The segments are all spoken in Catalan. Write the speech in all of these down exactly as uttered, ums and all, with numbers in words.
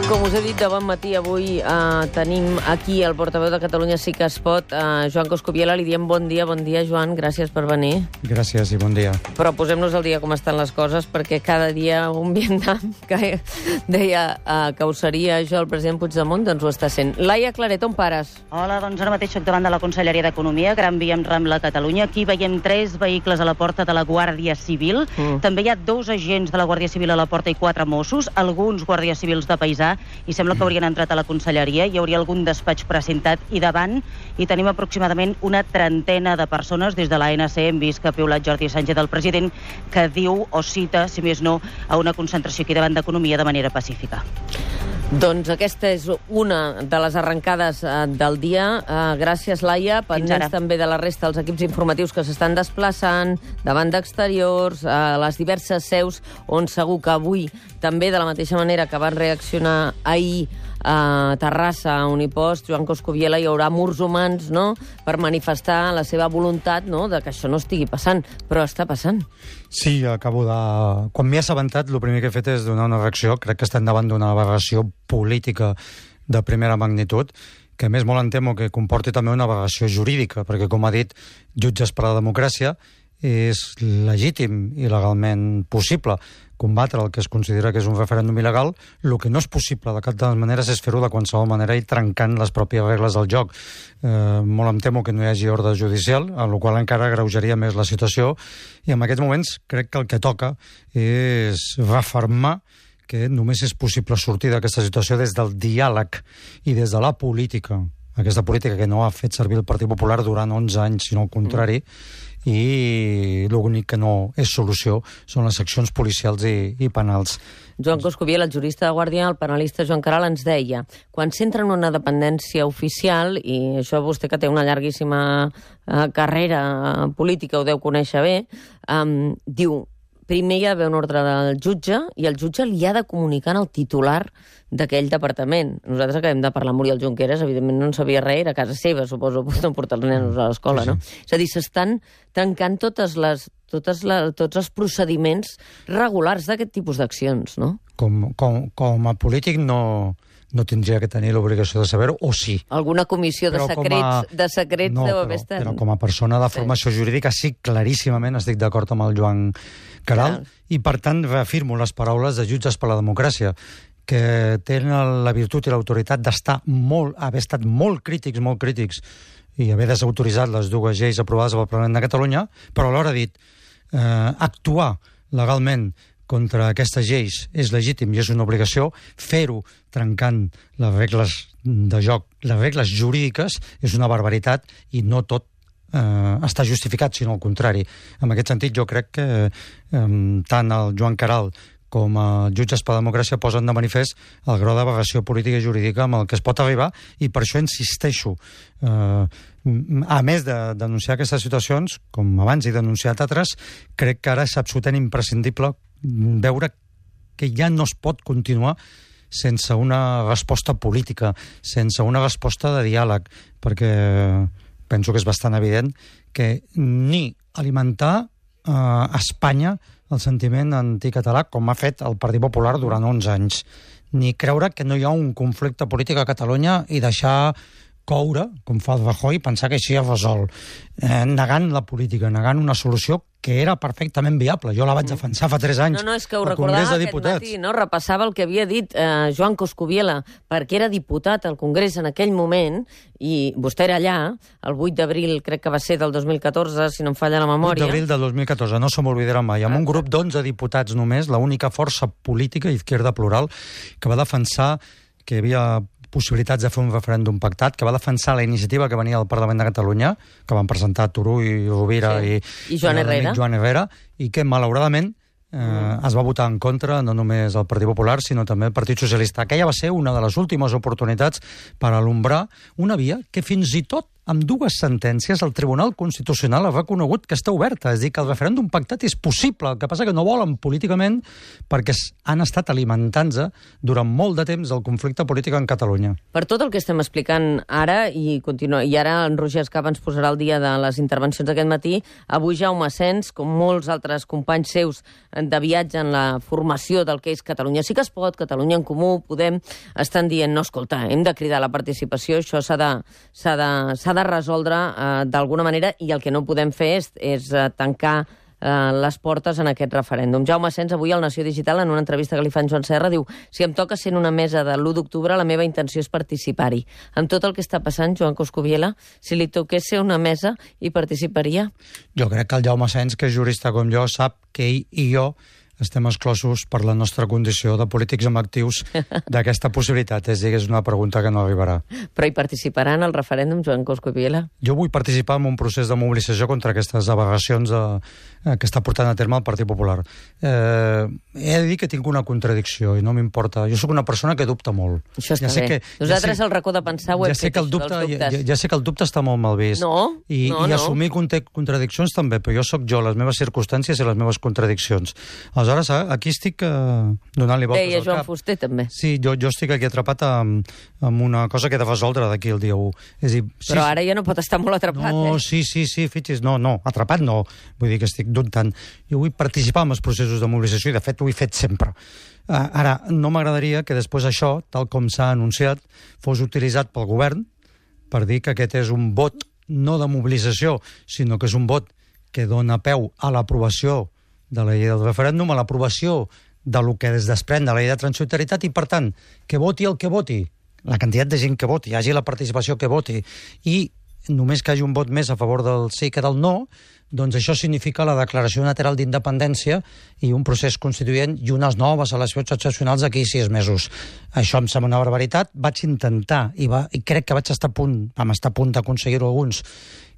Com us he dit de bon matí, avui eh, tenim aquí el portaveu de Catalunya Sí que es pot, eh, Joan Coscubiela. Li diem bon dia. Bon dia, Joan. Gràcies per venir. Gràcies i bon dia. Però posem-nos al dia com estan les coses, perquè cada dia un Vietnam que deia eh, que ho seria jo, el president Puigdemont, doncs ho està sent. Laia Claret, on pares? Hola, doncs ara mateix soc davant de la Conselleria d'Economia, Gran Via amb Rambla, Catalunya. Aquí veiem tres vehicles a la porta de la Guàrdia Civil. Mm. També hi ha dos agents de la Guàrdia Civil a la porta i quatre Mossos, alguns guàrdies civils de paisà, i sembla que haurien entrat a la Conselleria. Hi hauria algun despatx precintat i davant hi tenim aproximadament una trentena de persones. Des de l'A N C hem vist que ha piulat Jordi Sánchez, el president, que diu o cita, si més no, a una concentració aquí davant d'Economia de manera pacífica. Doncs aquesta és una de les arrencades eh, del dia. Eh, gràcies, Laia. Pendents també de la resta dels equips informatius que s'estan desplaçant davant d'exteriors, a eh, les diverses seus, on segur que avui, també de la mateixa manera que van reaccionar ahir a Terrassa, a Unipost, Joan Coscubiela, hi haurà murs humans, no?, per manifestar la seva voluntat, no?, de que això no estigui passant, però està passant. Sí, acabo de... Quan m'he assabentat, el primer que he fet és donar una reacció. Crec que estem davant d'una aberració política de primera magnitud, que a més molt em temo que comporti també una aberració jurídica, perquè, com ha dit Jutges per a la Democràcia, és legítim i legalment possible combatre el que es considera que és un referèndum il·legal. El que no és possible de cap de les maneres és fer-ho de qualsevol manera i trencant les pròpies regles del joc. Eh, molt em temo que no hi hagi ordre judicial, amb la qual cosa encara agreujaria més la situació, i en aquests moments crec que el que toca és refermar que només és possible sortir d'aquesta situació des del diàleg i des de la política. Aquesta política que no ha fet servir el Partit Popular durant onze anys, sinó al contrari, i l'únic que no és solució són les accions policials i, i penals. Joan Coscubiela, el jurista de Guàrdia, el penalista Joan Caral, ens deia, quan s'entra en una dependència oficial, i això vostè que té una llarguíssima eh, carrera política ho deu conèixer bé, eh, diu, primer hi ha d'haver un ordre del jutge i el jutge li ha de comunicar al titular d'aquell departament. Nosaltres acabem de parlar amb Oriol Junqueras, evidentment no en sabia res, era a casa seva, suposo, no portar els nenos a l'escola, sí, sí. no? És a dir, s'estan trencant totes les, totes la, tots els procediments regulars d'aquest tipus d'accions, no? Com, com, com a polític no... no tindria que tenir l'obligació de saber-ho, o sí. Alguna comissió de secrets, a... de secrets no, deu però, haver estat. Però com a persona de formació sí. jurídica, sí, claríssimament estic d'acord amb el Joan Caral, Clar. i per tant reafirmo les paraules de Jutges per la Democràcia, que tenen la virtut i l'autoritat d'estar molt, haver estat molt crítics, molt crítics, i haver desautoritzat les dues lleis aprovades pel Parlament de Catalunya, però alhora ha dit eh, actuar legalment contra aquestes lleis és legítim i és una obligació. Fer-ho trencant les regles de joc, les regles jurídiques, és una barbaritat i no tot eh, està justificat, sinó al contrari. En aquest sentit, jo crec que eh, tant el Joan Caral com a Jutges per la Democràcia posen de manifest el grau d'aberració política i jurídica amb el que es pot arribar, i per això insisteixo. Eh, a més de denunciar aquestes situacions, com abans he denunciat altres, crec que ara és absolutament imprescindible veure que ja no es pot continuar sense una resposta política, sense una resposta de diàleg, perquè penso que és bastant evident que ni alimentar eh, a Espanya el sentiment anticatalà, com ha fet el Partit Popular durant onze anys, ni creure que no hi ha un conflicte polític a Catalunya i deixar coure, com fa el Rajoy, pensar que així es resol, eh, negant la política, negant una solució que era perfectament viable. Jo la vaig defensar fa tres anys. No, no, és que ho recordava aquest matí, no? Repassava el que havia dit eh, Joan Coscubiela, perquè era diputat al Congrés en aquell moment, i vostè era allà, el vuit d'abril, crec que va ser del dos mil catorze, si no em falla la memòria. vuit d'abril del dos mil catorze, no se m'oblidarà mai, amb un grup d'onze diputats només, l'única força política, Izquierda Plural, que va defensar que hi havia possibilitats de fer un referèndum pactat, que va defensar la iniciativa que venia del Parlament de Catalunya, que van presentar Turull i Rovira sí. i, I Joan Herrera, Joan Herrera, i que, malauradament, eh, mm. es va votar en contra no només el Partit Popular, sinó també el Partit Socialista. Aquella va ser una de les últimes oportunitats per alumbrar una via que fins i tot amb dues sentències, el Tribunal Constitucional ha reconegut que està oberta, és a dir, que el referèndum pactat és possible, el que passa que no volen políticament perquè han estat alimentant-se durant molt de temps el conflicte polític en Catalunya. Per tot el que estem explicant ara, i, continua, i ara en Roger Escapa ens posarà el dia de les intervencions d'aquest matí, avui Jaume Asens, com molts altres companys seus de viatge en la formació del que és Catalunya Sí que es pot, Catalunya en Comú, Podem, estan dient, no, escolta, hem de cridar la participació, això s'ha de, s'ha de, s'ha de resoldre eh, d'alguna manera, i el que no podem fer és, és eh, tancar eh, les portes en aquest referèndum. Jaume Asens, avui al Nació Digital, en una entrevista que li fan Joan Serra, diu: si em toca ser en una mesa de l'u d'octubre, la meva intenció és participar-hi. Amb tot el que està passant, Joan Coscubiela, si li toqués ser una mesa, hi participaria? Jo crec que el Jaume Asens, que és jurista com jo, sap que ell i jo estem exclosos per la nostra condició de polítics amb actius d'aquesta possibilitat. És a dir, és una pregunta que no arribarà. Però hi participarà en el referèndum, Joan Coscubiela? Jo vull participar en un procés de mobilització contra aquestes al·legacions de, eh, que està portant a terme el Partit Popular. Eh, he de dir que tinc una contradicció i no m'importa. Jo sóc una persona que dubta molt. Això està ja sé bé. Que, Nosaltres ja sé, al racó de pensar ho hem ja sé fet, que el dubte, això, ja, ja sé que el dubte està molt mal vist. No, I, no, i no. assumir contradiccions també, però jo sóc jo, les meves circumstàncies i les meves contradiccions. Aleshores, aquí estic estic eh, donant-li voltes Deia al Joan cap. Fuster, també. Sí, jo, jo estic aquí atrapat amb, amb una cosa que he de resoldre d'aquí el dia u. És a dir, sí, Però ara ja no pot estar molt atrapat, no, eh? sí, sí, sí, fixis, no, no, atrapat no. Vull dir que estic dubtant. Jo vull participar en els processos de mobilització i, de fet, ho he fet sempre. Uh, ara, no m'agradaria que després això, tal com s'ha anunciat, fos utilitzat pel govern per dir que aquest és un vot no de mobilització, sinó que és un vot que dona peu a l'aprovació de la llei del referèndum, a l'aprovació de lo que es desprèn de la llei de transitorietat i, per tant, que voti el que voti, la quantitat de gent que voti, hi hagi la participació que voti, i només que hi hagi un vot més a favor del sí que del no, doncs això significa la declaració unilateral d'independència i un procés constituent i unes noves eleccions excepcionals d'aquí sis mesos. Això em sembla una barbaritat. Vaig intentar, i, va, i crec que vaig estar a punt, vam estar a punt d'aconseguir-ho alguns,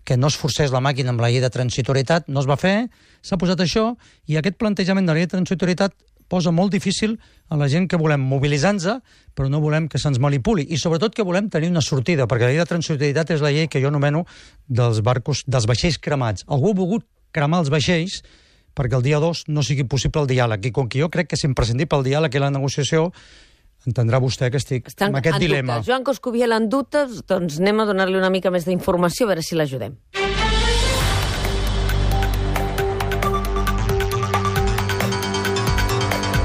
que no es forcés la màquina amb la llei de transitorietat, no es va fer, s'ha posat això, i aquest plantejament de la llei de transitorietat posa molt difícil a la gent que volem mobilitzar-nos, però no volem que se'ns manipuli, i sobretot que volem tenir una sortida, perquè la llei de transitorietat és la llei que jo anomeno dels barcos, dels vaixells cremats. Algú ha volgut cremar els vaixells perquè el dia dos no sigui possible el diàleg, i com que jo crec que és imprescindible el diàleg i la negociació, entendrà vostè que estic Estan amb aquest en dilema. Dubtes. Joan Coscubiela en dubtes, doncs anem a donar-li una mica més d'informació, a veure si l'ajudem.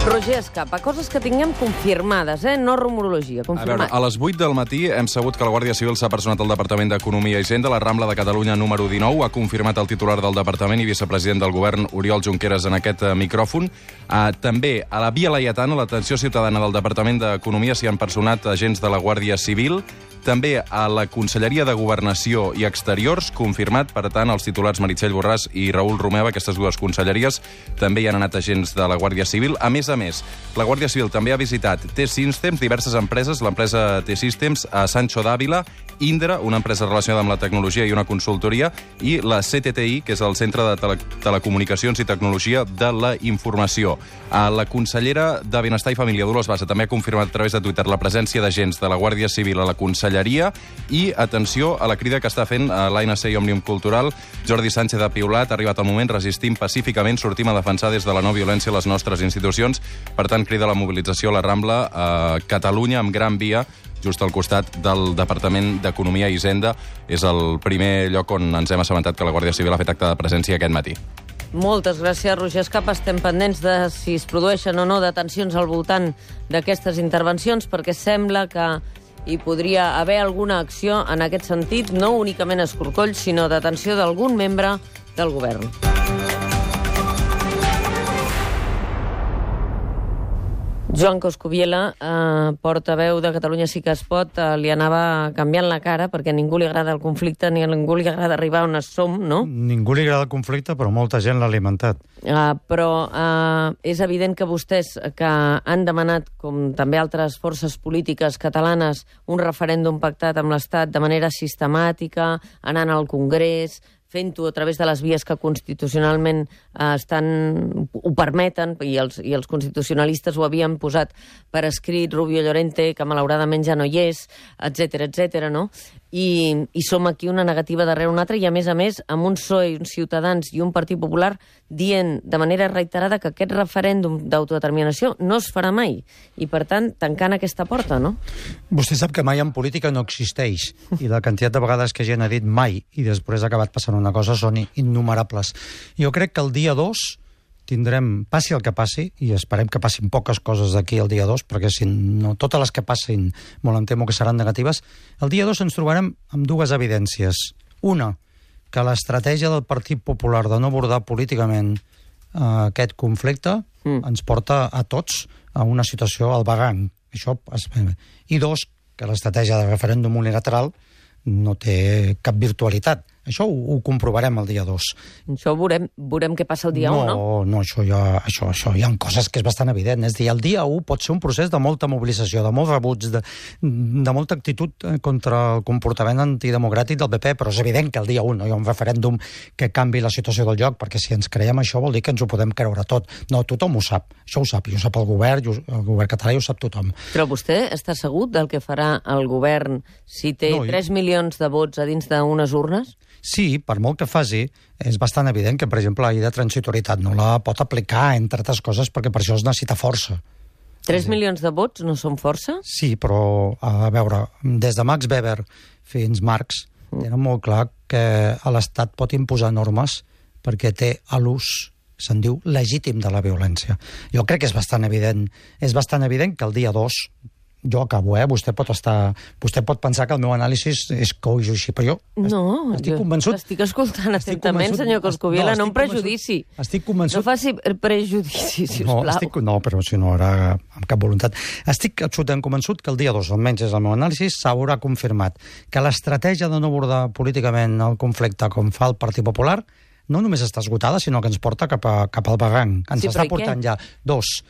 Roger Escapa, coses que tinguem confirmades, eh? No rumorologia, A veure, confirmades. a les vuit del matí hem sabut que la Guàrdia Civil s'ha personat al Departament d'Economia i Hisenda, la Rambla de Catalunya número dinou, ha confirmat el titular del Departament i vicepresident del Govern, Oriol Junqueras, en aquest eh, micròfon. Uh, també a la Via Laietana, a l'atenció ciutadana del Departament d'Economia, s'hi han personat agents de la Guàrdia Civil. També a la Conselleria de Governació i Exteriors, confirmat, per tant, els titulars Meritxell Borràs i Raül Romeva, aquestes dues conselleries, també hi han anat agents de la Guàrdia Civil. A més a més, la Guàrdia Civil també ha visitat T-Systems, diverses empreses, l'empresa T-Systems a Sancho d'Àvila, Indra, una empresa relacionada amb la tecnologia i una consultoria, i la C T T I, que és el Centre de Tele Telecomunicacions i Tecnologia de la Informació. A la consellera de Benestar i Família, Dolors Bassa, també ha confirmat a través de Twitter la presència d'agents de la Guàrdia Civil a la Conselleria, i atenció a la crida que està fent l'A N C i Òmnium Cultural. Jordi Sánchez ha piulat, ha arribat el moment, resistim pacíficament, sortim a defensar des de la no violència les nostres institucions. Per tant, crida la mobilització a la Rambla a Catalunya, amb Gran Via, just al costat del Departament d'Economia i Hisenda. És el primer lloc on ens hem assabentat que la Guàrdia Civil ha fet acte de presència aquest matí. Moltes gràcies, Roger Escapa. Estem pendents de si es produeixen o no detencions al voltant d'aquestes intervencions, perquè sembla que hi podria haver alguna acció en aquest sentit, no únicament escorcolls, sinó detenció d'algun membre del govern. Joan Coscubiela, eh, portaveu de Catalunya Sí que es pot, eh, li anava canviant la cara perquè a ningú li agrada el conflicte ni a ningú li agrada arribar on som, no? Ningú li agrada el conflicte, però molta gent l'ha alimentat. Uh, però uh, és evident que vostès, que han demanat, com també altres forces polítiques catalanes, un referèndum pactat amb l'Estat de manera sistemàtica, anant al Congrés, fent-ho a través de les vies que constitucionalment eh, estan, ho permeten, i els, i els constitucionalistes ho havien posat per escrit, Rubio Llorente, que malauradament ja no hi és, etcètera, etcètera, no? I, i som aquí una negativa darrere una altra, i a més a més, amb un P S O E, uns Ciutadans i un Partit Popular dient de manera reiterada que aquest referèndum d'autodeterminació no es farà mai, i per tant, tancant aquesta porta, no? Vostè sap que mai en política no existeix, i la quantitat de vegades que gent ha dit mai i després ha acabat passant una cosa són innumerables. Jo crec que el dia dos tindrem, passi el que passi, i esperem que passin poques coses d'aquí el dia dos, perquè si no, totes les que passin, molt em temo que seran negatives, el dia dos ens trobarem amb dues evidències. Una, que l'estratègia del Partit Popular de no abordar políticament eh, aquest conflicte mm. ens porta a tots a una situació al vagant. Això es... I dos, que l'estratègia de referèndum unilateral no té cap virtualitat. Això ho, ho comprovarem el dia dos. Això ho veurem, veurem què passa el dia no, un, no? No, això, ja, això, això hi ha coses que és bastant evident. És a dir, el dia un pot ser un procés de molta mobilització, de molts rebuts, de, de molta actitud contra el comportament antidemocràtic del P P, però és evident que el dia un no hi ha un referèndum que canvi la situació del lloc, perquè si ens creiem això vol dir que ens ho podem creure tot. No, tothom ho sap. Això ho sap. I ho sap el govern, i el govern català i ho sap tothom. Però vostè està segur del que farà el govern si té no, tres milions de vots a dins d'unes urnes? Sí, per molt que faci, és bastant evident que, per exemple, la llei de transitorietat no la pot aplicar, entre altres coses, perquè per això es necessita força. tres milions de vots no són força? Sí, però, a veure, des de Max Weber fins Marx, mm. tenen molt clar que l'Estat pot imposar normes perquè té a l'ús, se'n diu, legítim de la violència. Jo crec que és bastant evident, és bastant evident que el dia dos, jo acabo, eh? Vostè pot estar... Vostè pot pensar que el meu anàlisi és coix o així, però jo no, estic convençut... estic escoltant atentament, senyor Coscubiela, no, no un prejudici. Estic convençut... No faci prejudici, sisplau. No, estic, no, però si no era amb cap voluntat. Estic absolutament convençut que el dia dos, almenys és el meu anàlisi, s'haurà confirmat que l'estratègia de no abordar políticament el conflicte com fa el Partit Popular no només està esgotada, sinó que ens porta cap, a, cap al barranc. Ens sí, està portant ja dos...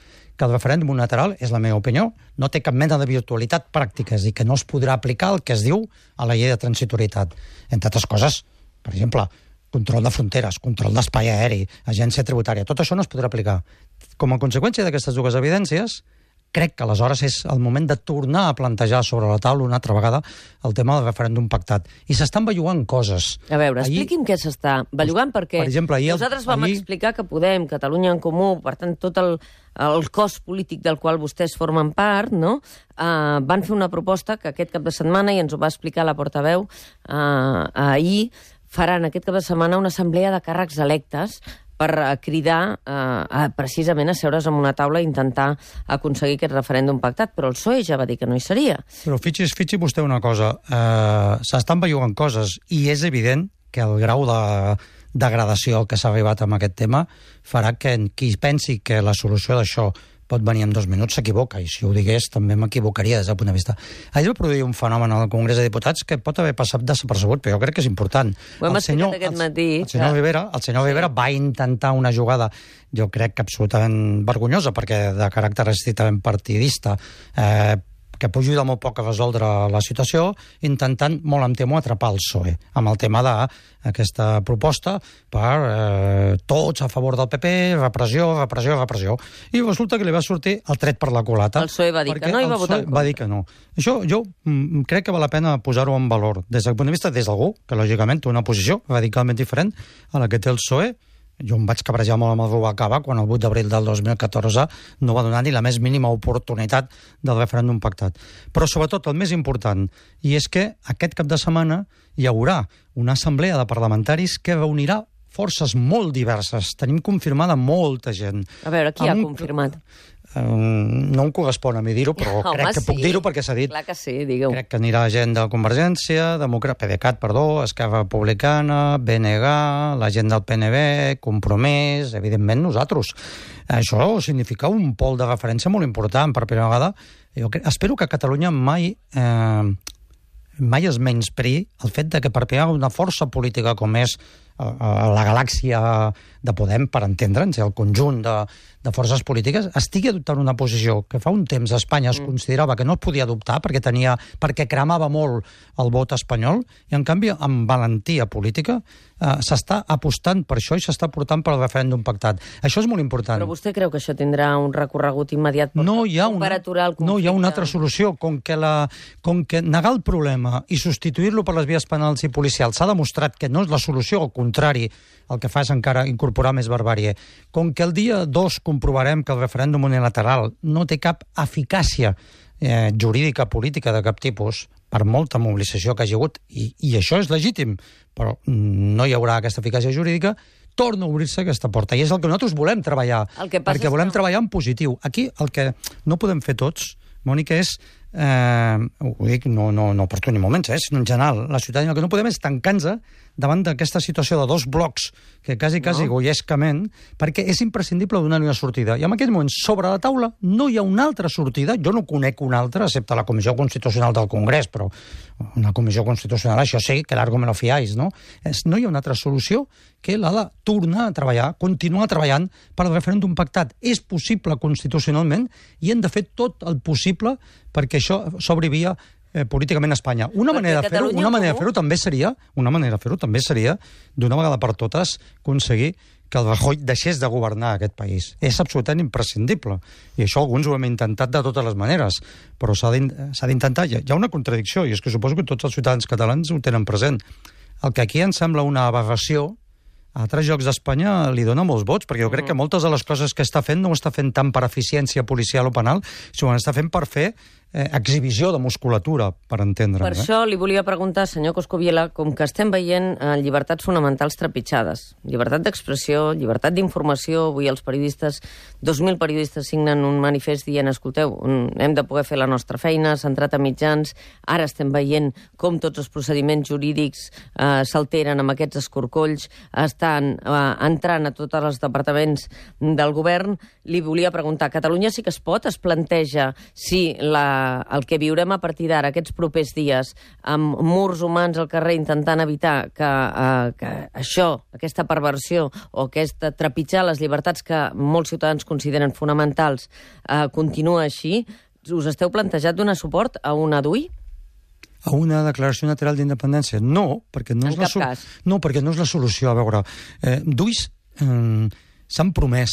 que el referèndum unilateral, és la meva opinió, no té cap mena de virtualitat pràctica, és a dir, que no es podrà aplicar el que es diu a la llei de transitorietat. Entre altres coses, per exemple, control de fronteres, control d'espai aeri, agència tributària, tot això no es podrà aplicar. Com a conseqüència d'aquestes dues evidències, crec que aleshores és el moment de tornar a plantejar sobre la taula una altra vegada el tema del referèndum pactat. I s'estan bellugant coses. A veure, ahir... expliqui'm què s'està bellugant, perquè per exemple, ahir, nosaltres vam ahir... explicar que Podem, Catalunya en Comú, per tant, tot el, el cos polític del qual vostès formen part, no? Uh, van fer una proposta que aquest cap de setmana, i ens ho va explicar la portaveu uh, ahir, faran aquest cap de setmana una assemblea de càrrecs electes per cridar eh, a, precisament a seure's en una taula i intentar aconseguir aquest referèndum pactat, però el P S O E ja va dir que no hi seria. Però fixis, fixi vostè una cosa, eh, s'estan bellugant coses i és evident que el grau de degradació que s'ha arribat amb aquest tema farà que qui pensi que la solució d'això pot venir en dos minuts s'equivoca, i si ho digués també m'equivocaria des del punt de vista. Ahir va produir un fenomen al Congrés de Diputats que pot haver passat desapercebut, però jo crec que és important. Ho hem explicat aquest matí. El, el senyor, que... Rivera, el senyor sí. Rivera va intentar una jugada, jo crec que absolutament vergonyosa, perquè de caràcter estrictament partidista, eh, que pugi de molt poc a resoldre la situació, intentant, molt em temo, atrapar el P S O E, amb el tema d'aquesta proposta per eh, tots a favor del P P, repressió, repressió, repressió. I resulta que li va sortir el tret per la culata. El P S O E va dir que no i va votar en contra. Va dir que no. Això jo mm, crec que val la pena posar-ho en valor, des del punt de vista des d'algú, que lògicament té una posició radicalment diferent a la que té el P S O E. Jo em vaig cabrejar molt amb el Rubalcaba quan el vuit d'abril del dos mil catorze no va donar ni la més mínima oportunitat del referèndum pactat. Però sobretot el més important, i és que aquest cap de setmana hi haurà una assemblea de parlamentaris que reunirà forces molt diverses. Tenim confirmada molta gent. A veure, qui ha confirmat? Um, no em correspon a mi dir-ho, però Home, crec que sí. puc dir-ho perquè s'ha dit. Clar que sí, digueu. Crec que anirà gent de Convergència, Democràcia, PDeCAT, perdó, Esquerra Republicana, B N G, la gent del P N B, Compromís, evidentment nosaltres. Això significa un pol de referència molt important per primera vegada. Jo crec, espero que Catalunya mai... Eh, mai es menyspri el fet de que per primera una força política com és la galàxia de Podem, per entendre'ns, el conjunt de, de forces polítiques, estigui adoptant una posició que fa un temps a Espanya es considerava que no es podia adoptar perquè tenia perquè cremava molt el vot espanyol, i en canvi, amb valentia política, eh, s'està apostant per això i s'està portant per al referèndum pactat. Això és molt important. Però vostè creu que això tindrà un recorregut immediat per, no hi ha una, per aturar el conflicte? No hi ha una altra solució. Com que, la, com que negar el problema i substituir-lo per les vies penals i policials s'ha demostrat que no és la solució, al contrari, el que fa és encara incorporar més barbàrie. Com que el dia dos comprovarem que el referèndum unilateral no té cap eficàcia eh, jurídica, política de cap tipus, per molta mobilització que hagi hagut, i, i això és legítim, però no hi haurà aquesta eficàcia jurídica, torna a obrir-se aquesta porta. I és el que nosaltres volem treballar, perquè volem que... treballar en positiu. Aquí el que no podem fer tots, Mònica, és, eh, ho dic no, no, no per tu ni moments, eh, sinó en general, la ciutadania, el que no podem és tancar-nos davant d'aquesta situació de dos blocs que quasi, quasi no. goiescament, perquè és imprescindible donar-hi una sortida. I en aquest moment, sobre la taula, no hi ha una altra sortida, jo no conec una altra, excepte la Comissió Constitucional del Congrés, però una Comissió Constitucional, això sí, que largo me lo fiáis, no? És, no hi ha una altra solució que la de tornar a treballar, continuar treballant per al referèndum pactat. És possible constitucionalment i hem de fer tot el possible perquè això s'obri via Eh, políticament a Espanya. Una manera de fer-ho, una manera de fer-ho també seria, una manera de fer-ho també seria, d'una vegada per totes, aconseguir que el Rajoy deixés de governar aquest país. És absolutament imprescindible. I això alguns ho hem intentat de totes les maneres, però s'ha d'intentar. Hi ha una contradicció, i és que suposo que tots els ciutadans catalans ho tenen present. El que aquí ens sembla una aberració, a altres llocs d'Espanya li dona molts vots, perquè jo crec que moltes de les coses que està fent no ho està fent tant per eficiència policial o penal, sinó que està fent per fer eh, exhibició de musculatura, per entendre. Per eh? això li volia preguntar, senyor Coscubiela, com que estem veient eh, llibertats fonamentals trepitjades, llibertat d'expressió, llibertat d'informació, avui els periodistes, dos mil periodistes signen un manifest dient, escolteu, hem de poder fer la nostra feina, centrat a mitjans, ara estem veient com tots els procediments jurídics eh, s'alteren amb aquests escorcolls, estan eh, entrant a tots els departaments del govern. Li volia preguntar, Catalunya sí que es pot? Es planteja si la, el que viurem a partir d'ara, aquests propers dies, amb murs humans al carrer intentant evitar que, eh, que això, aquesta perversió o aquesta trepitjar les llibertats que molts ciutadans consideren fonamentals, eh, continua així, us esteu plantejat donar suport a una D U I? A una declaració unilateral d'independència? No, perquè no, en és la, cap cas. no, perquè no és la solució. A veure, eh, D U Is eh, s'han promès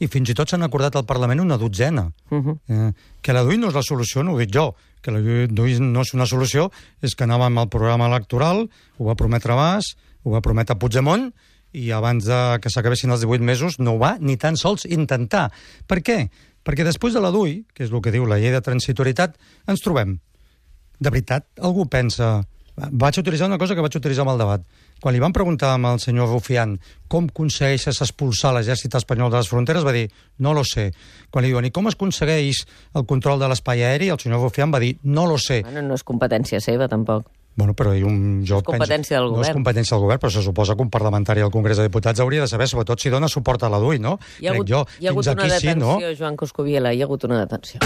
i fins i tot s'han acordat al Parlament una dotzena. Uh -huh. eh, que la D U I no és la solució, no ho dic jo. Que la D U I no és una solució, és que anàvem al programa electoral, ho va prometre Mas, ho va prometre Puigdemont, i abans de que s'acabessin els divuit mesos no ho va ni tan sols intentar. Per què? Perquè després de la D U I, que és el que diu la llei de transitorietat, ens trobem. De veritat, algú pensa... Vaig utilitzar una cosa que vaig utilitzar amb el debat. Quan li van preguntar al senyor Rufián com aconsegueixes expulsar l'exèrcit espanyol de les fronteres, va dir, no lo sé. Quan li diuen, i com es aconsegueix el control de l'espai aeri, el senyor Rufián va dir, no lo sé. Bueno, no és competència seva, tampoc. Bueno, però un, jo és competència penso, del govern. No és competència del govern, però se suposa que un parlamentari al Congrés de Diputats hauria de saber, sobretot si dona suport a la D U I, no? Hi ha hagut, jo, hi ha hagut una aquí, detenció, sí, no? Joan Coscubiela, hi ha hagut una detenció.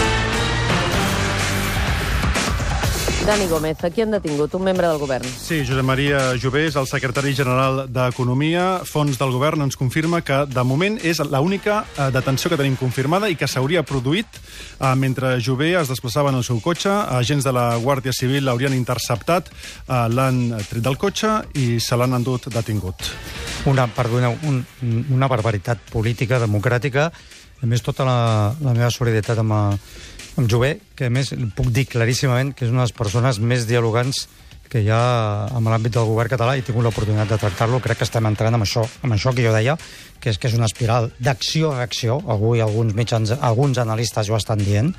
Dani Gómez, a qui han detingut? Un membre del govern. Sí, Josep Maria Jovés, el secretari general d'Economia, Fons del Govern, ens confirma que, de moment, és l'única detenció que tenim confirmada i que s'hauria produït eh, mentre Jové es desplaçava en el seu cotxe. Agents de la Guàrdia Civil l'haurien interceptat, eh, l'han tret del cotxe i se l'han endut detingut. Una, perdoneu, un, una barbaritat política, democràtica. A més, tota la, la meva solidaritat amb... A... amb Jové, que a més puc dir claríssimament que és una de les persones més dialogants que hi ha en l'àmbit del govern català i he tingut l'oportunitat de tractar-lo. Crec que estem entrant amb això, amb això que jo deia, que és que és una espiral d'acció-reacció. Avui alguns mitjans, alguns analistes ho estan dient,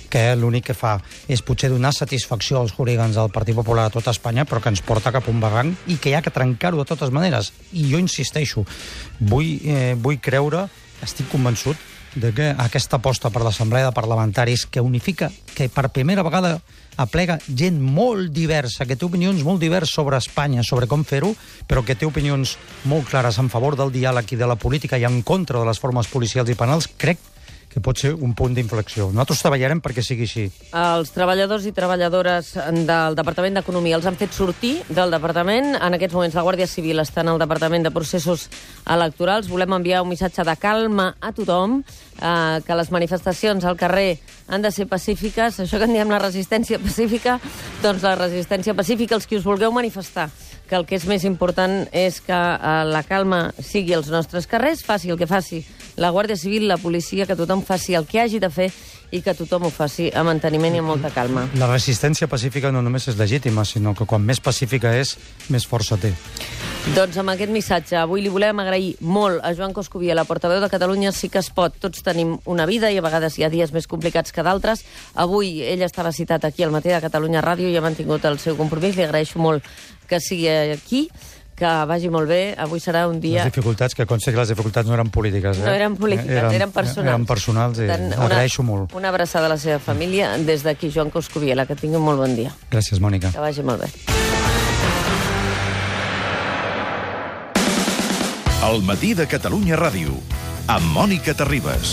que l'únic que fa és potser donar satisfacció als hooligans del Partit Popular a tota Espanya, però que ens porta cap a un barranc i que hi ha que trencar-ho de totes maneres. I jo insisteixo, vull, eh, vull creure, estic convençut, de que aquesta aposta per l'Assemblea de Parlamentaris que unifica, que per primera vegada aplega gent molt diversa, que té opinions molt diverses sobre Espanya, sobre com fer-ho, però que té opinions molt clares en favor del diàleg i de la política i en contra de les formes policials i penals, crec que pot ser un punt d'inflexió. Nosaltres treballarem perquè sigui així. Els treballadors i treballadores del Departament d'Economia els han fet sortir del departament. En aquests moments la Guàrdia Civil està en el Departament de Processos Electorals. Volem enviar un missatge de calma a tothom, eh, que les manifestacions al carrer han de ser pacífiques. Això que en diem la resistència pacífica, doncs la resistència pacífica, els que us vulgueu manifestar, que el que és més important és que eh, la calma sigui als nostres carrers, faci el que faci la Guàrdia Civil, la policia, que tothom faci el que hagi de fer i que tothom ho faci amb manteniment i amb molta calma. La resistència pacífica no només és legítima, sinó que quan més pacífica és, més força té. Doncs amb aquest missatge avui li volem agrair molt a Joan Coscubiela, la portaveu de Catalunya Sí que es pot. Tots tenim una vida i a vegades hi ha dies més complicats que d'altres. Avui ell estava citat aquí al matí de Catalunya Ràdio i ha mantingut el seu compromís. Li agraeixo molt que sigui aquí, que vagi molt bé. Avui serà un dia... Les dificultats, que consta que les dificultats no eren polítiques. Eh? No eren polítiques, eren, eren personals. Eren personals i Tant, agraeixo una, molt. Una abraçada a la seva família des d'aquí, Joan Coscubiela. Que tingui un molt bon dia. Gràcies, Mònica. Que vagi molt bé. El matí de Catalunya Ràdio, amb Mònica Terribas.